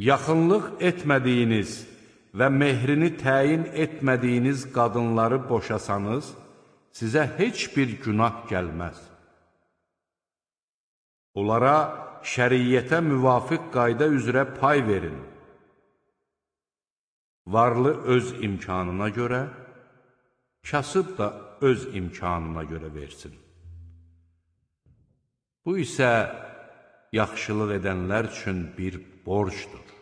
Yaxınlıq etmədiyiniz və mehrini təyin etmədiyiniz qadınları boşasanız, sizə heç bir günah gəlməz. Onlara şəriyyətə müvafiq qayda üzrə pay verin. Varlı öz imkanına görə, kasıb da öz imkanına görə versin. Bu isə yaxşılıq edənlər üçün bir borcdur.